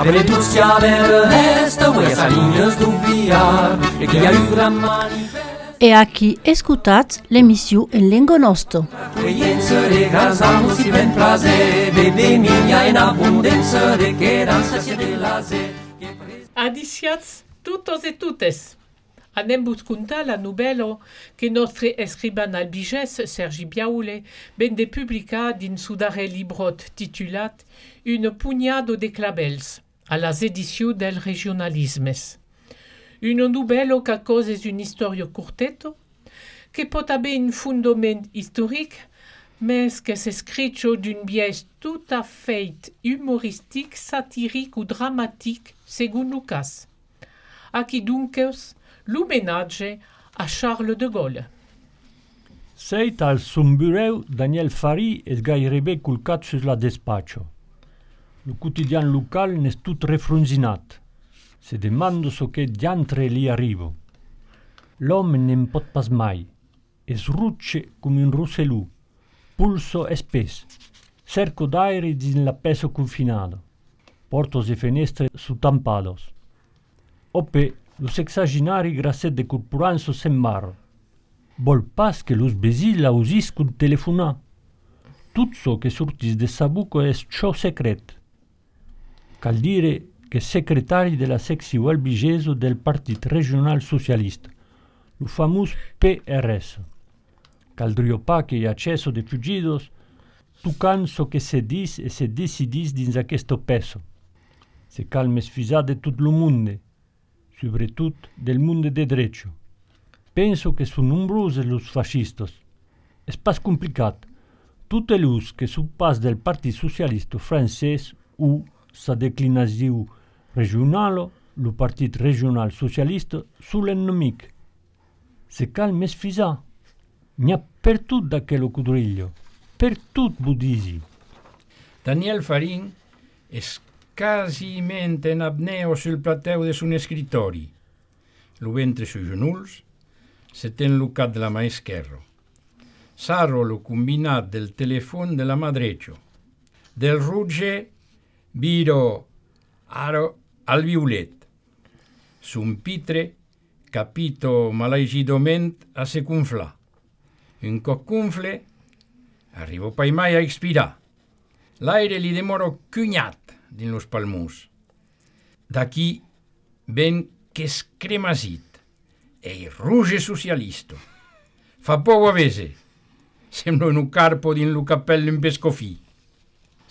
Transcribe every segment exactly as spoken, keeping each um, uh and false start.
A Venezia l'Est, où sa ligne d'oubliar, et qui a eu grand manifeste. E aquí escutat l'emissió en lengo nostro. Accoglienza de grasamos si ben frase, bebe miglia in abbondanza de quedanza sia de laze. Adiciats tutos e tutes. Anem buscuntar la novello che nostre escriban albiges Sergi Biaule vende publicar din su darrer librot titulat Une pugnado de clabels, a las edicions del regionalismes. Un novello che causes un historio curteto, che pot haver un fundament historic, mais que s'escricho d'un biais tout à fait humoristique, satirique ou dramatique, segun lo cas. Aquí dunques l'homenatge a Charles de Gaulle. Seit al sombureu Daniel Fari es gairebé culcat sus la despaccio. Lo quotidian local n'es tut refrunzinat. Se demando so che diantre li arrivo. L'homme n'en pot pas mai. Es rucce come un russelù. Pulso espes. Cerco d'aere din la peso confinado. Portos e fenestre su tampados. Ope lo sexaginari grasset de corporanzo sembar. Vol pas que los besil ausiscun telefonar. Tut so che surtis de sabuco es ciò secret. Cal dire che secretari della secció albigeso del Partit Regional Socialista, lo famus P R S. Caldrio pa che accesso de fugidos, tu canso che se dis e se decidis dins aquesto peso. Se calmes fisa de tut lo munde, sobretut del munde de drecho. Penso che son nombroses los fascistos. Es pas complicat. Tutte lus che su pas del Partit Socialista francès u sa declinaziu regionalo, lo Partit Regional Socialista, sull'ennemic. Se calmes fisa, n'ha per tut d'aquello cudriglio, per tut budisi. Daniel Farin es quasimente en apneo sul plateu de son escritori. Lo ventre sui genuls, se ten lo cap de la mà esquerro. Sarro lo combinat del telefon de la mà drecho. Del rugge viro aro al violet. Son pitre capito malagidoment a se cunflar. Un cop cunfle, arrivo pai mai a expirar. L'aire li demoro cunyat din los palmurs. D'aquí ven qu'es cremasit, e ruge socialisto. Fa pou a vese. Sembla un carpo din lo cappello in pescofì.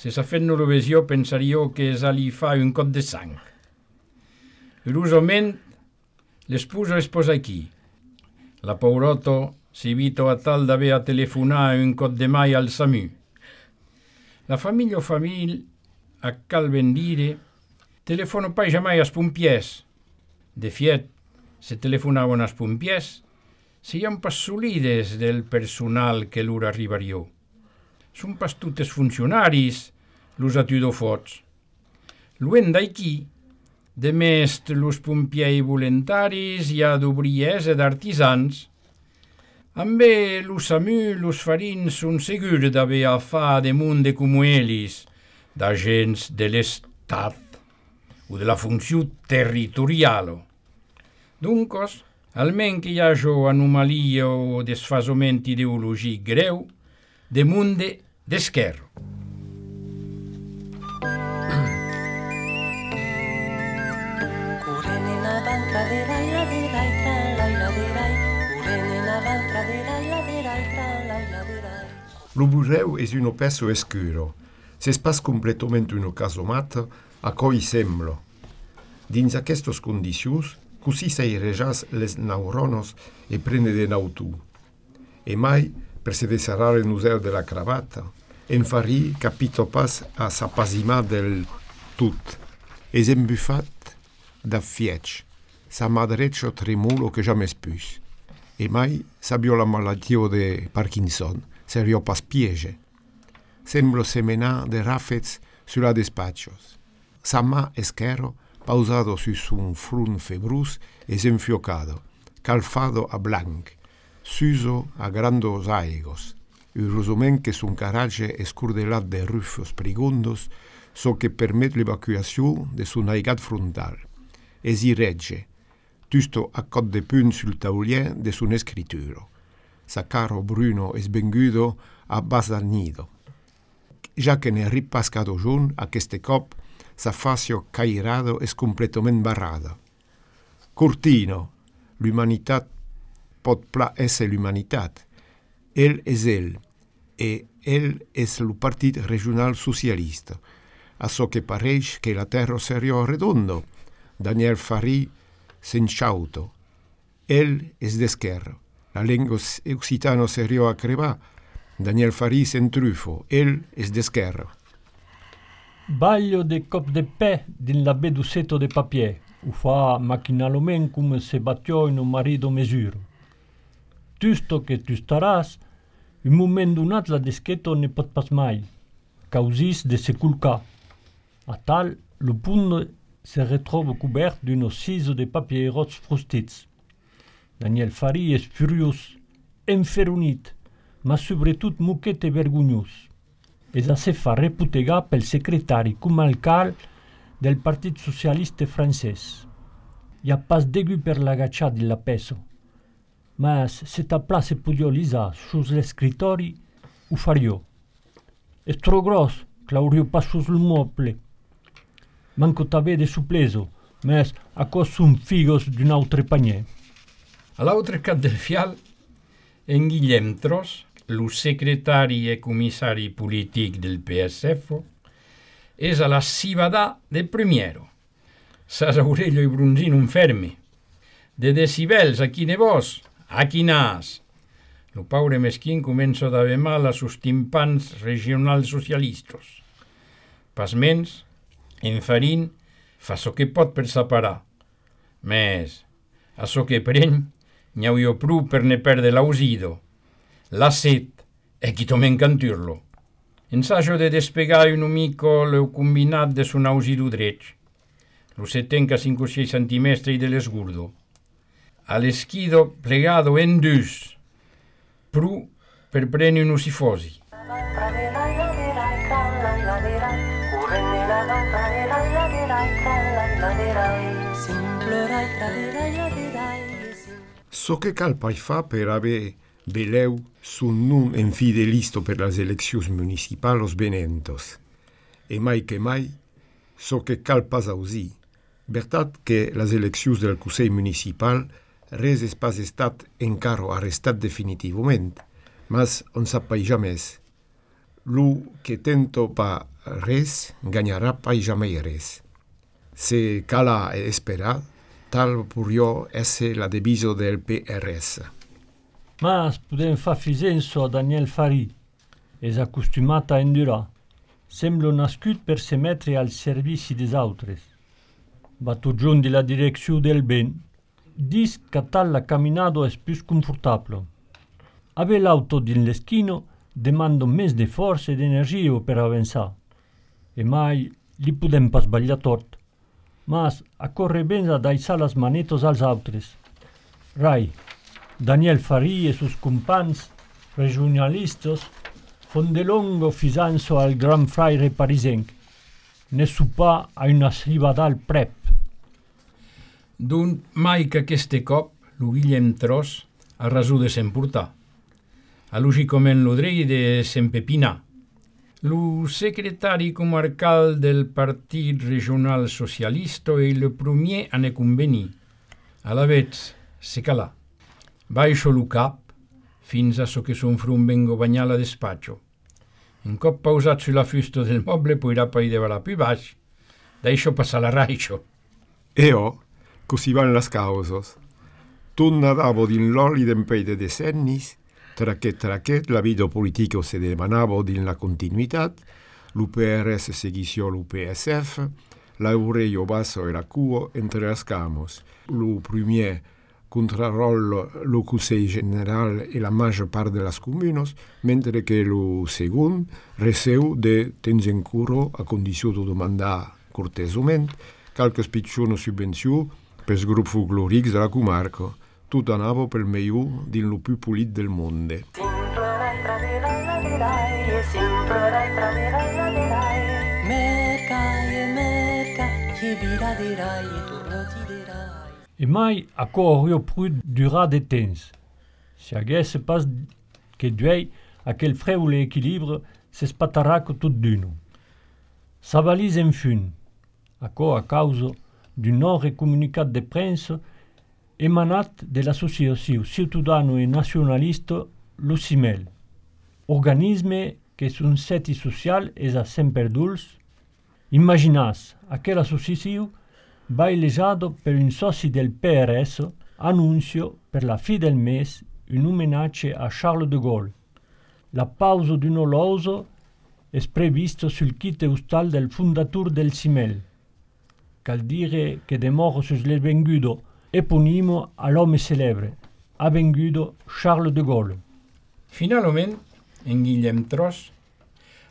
Se s'ha fet l'Eurovisió pensaríeu que es ali fa un cot de sang. Curiosament, l'esposa es posa aquí. La pauroto si vito a tal d'haver a telefonar un cot de mai al SAMU. La famiglia o famiglia, a cal ben dire, telefono pai jamai as pompiers. De fiet, se telefonaven as pompiers, seian pas solides del personal que l'ura arribarió. Son pas tutes funcionaris, los atudofots. Luen d'aquí, de mest los pompiei voluntaris i a d'obriers e d'artisans, ambe los SAMU, los farins son segurs d'haver a fa de monde como elis, d'agents de l'estat o de la funció territorialo. Duncos, almen que hi haja anomalia o desfasament ideologic greu, de monde d'esquerro. Lo museu es un peso escuro. S'es pas completament un casomat a coi semblo. Dins aquestes condicions, così s'airejas les neuronos e prende de nautu. E mai, per se desarrare il museo della cravatta, en Fari capito pas a s'appasimar del tut. Es embuffat da fiec, sa madreccio tremulo che jamais pus. E mai sabio la malattia de Parkinson, serio pas piege. Semblo semenar de rafets sulla despaccios. Sa mà esquerro, pausado su un frun februs, es enfiocado, calfado a blanc, suso a grandos aigos, urosament que sun carage escurdelat de rufos prigundos, so che permet l'evacuació de son aigat frontal. Es i regge, tusto a cot de punt sul taulier de son escrituro. Sa caro Bruno es vengudo a bas al nido. Ja que ne ripascado jun, aqueste cop, sa facio cairado es completament barrada. Cortino, l'humanitat pot pla esse l'humanitat. El es el, e el es lo partit regional socialista. A so che pareix che la terra serio redondo. Daniel Fari s'enchauto. El es d'esquerra. La lengua occitano serio a creba. Daniel Fari s'entrufo. El es d'esquerra. Baglio de cop de pe din la bedusetto de papier. U fa machinalment come se battiò in un marido mesuro. Tusto che tu staràs, un moment donat la deschetto ne pot pas mai. Causis de se culcar. A tal, lo punt se retrova cobert d'un ossiso de papierots frustits. Daniel Fari es furiós, enferunit, ma sobretot moquet e vergonyós. Es a se fa reputegar pel secretari comarcal del Partit Socialista francès. I ha pas degu per l'agaccià di la peso, mas se ta place podio lisar sus l'escritori, ho fario. Es tro gros, claurio pas sus il moble. Manco t'avede supleso, mas a cos sun figos d'un autre panier. A l'altre cap del fial, en Guillem Tros, lo secretari e comissari politic del P S F, és a la cibadà del Primiero. Sas Aurelio i Brunzino un ferme. De decibels, a quine vos, a quinàs. Lo paure meschin comença d'haver mal a sus timpans regionals socialistos. Pasmens, en Farín fa so que pot per separar. Mes, a so que preny, n'hi hauria pru per ne perde l'ausido. La set, e qui tomen canturlo. Ensaggio de despegar un mico l'eu combinat de son ausido dretg. Lo se tenca cinco o sei centimetri de l'esgurdo. A l'esquido plegado en dus, pru per preni un usifosi. So che cal pai fa per haver beleu sun nun infidelisto per las eleccions municipalos benentos. E mai che mai, so che cal pas ausi. Bertat che las eleccions del Consell Municipal res es pas estat encaro arrestat definitivament, mas on sap pai jamès. Lu que tento pa res, ganharà pai jamai res. Se cala e esperar, tal purio esse la deviso del P R S. Mas podem fa fisenso a Daniel Fari. Es acostumat a endurar. Sembla nascut per se mettere al servici des autres. Va tot giun de la direcció del ben. Dis que tal la caminado es più confortable. Ave l'auto din l'esquino demanda més de força e d'energia per avançar. E mai li podem pas sbagliar tot. Mas a corre ben a daisar las manetos als autres. Rai, Daniel Fari e sus compans regionalistos fon de longo fisanso al gran fraire parisenc. Ne su pa a una cibadà prep. D'un mai que aqueste cop lo Guillem Tros a raso de s'emportar. A logicament lo drei de s'empepinar. Lo secretari comarcal del Partit Regional Socialista e le premier a ne convenir. A la vez, se calà. Baixo lo cap, fins a so che son frum vengo bagnar la despatxo. Un cop pausat sulla fusta del moble, poirà pai de varà più baix. Deixo passar la raixo. Eo, così van las causos. Tunna davo din l'oli d'empei de decennis, trachet trachet la vida politico se demanavo din la continuitat, l'U P R S seguició l'U P S F, l'Aurelio Basso e la Cuo entre las camos. Lo premier contrarrollo lo Consell General e la major part de las comunos, mentre que lo segon receu de tens en curo a condició de demandar cortesament calques pitjona subvenció pels grups folclòrics de la comarca, tot anava pel millor din lo più polit del monde. Mercat che viraderai e tornotiderai. E mai aco aurio prud dura de temps. Si haguesse pas que duei aquel freule equilibre se spataraco tot d'uno. S'avalise en fun, aco a causa d'un nord comunicat de presse emanat de l'associació ciutadano e nacionalista L'U C I M E L, organisme que son seti social és a Semperduls. Imaginas, aquella associació va elegado per un soci del P R S annuncio per la fi del mes un omenatge a Charles de Gaulle. La pausa d'un oloso è previsto sul kit eustal del fondatur del C I M E L. Cal dire che demoro sus l'esvengudo eponimo all'uomo celebre, avvengudo Charles de Gaulle. Finalment, en Guillem Tros,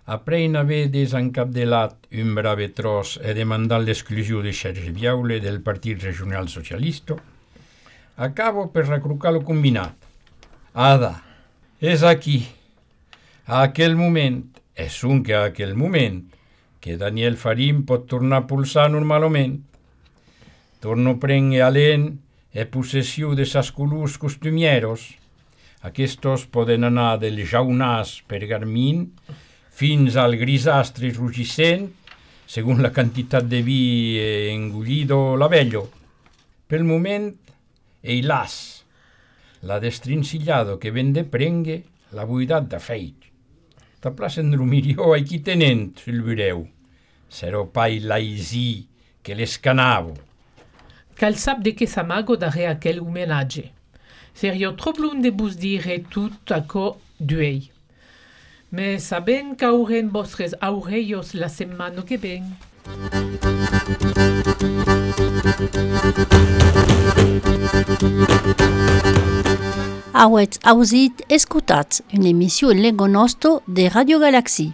après haver desencapdelat un brave tros e demandat l'exclusió de Sergi Biaule del Partit Regional Socialista, acabo per recrucar lo combinat. Ada, és aquí, a aquell moment, és un que a aquell moment, que Daniel Farín pot tornar a pulsar normalment. Torno prendre alent e possessió de sas colors costumieros. Aquestos poden anar del jaunàs pergamín fins al grisastre rugissent, segons la quantitat de vi engullido l'avello. Pel moment, eilas, la destrincillado que ven de prengue la buidat de feig. Ta plaça en Drumirió aquí tenent sul bureu. Serò pai l'aisí que l'escanavo. Cal sap de què s'amago darrere aquell homenatge. Serio trop lun de vos dire tot aco d'uei. Me saben qu'auren vostres aurellos la setmana que ven. Auetz ausit escutats une emissió en lengo nostro de Radio Galaxie.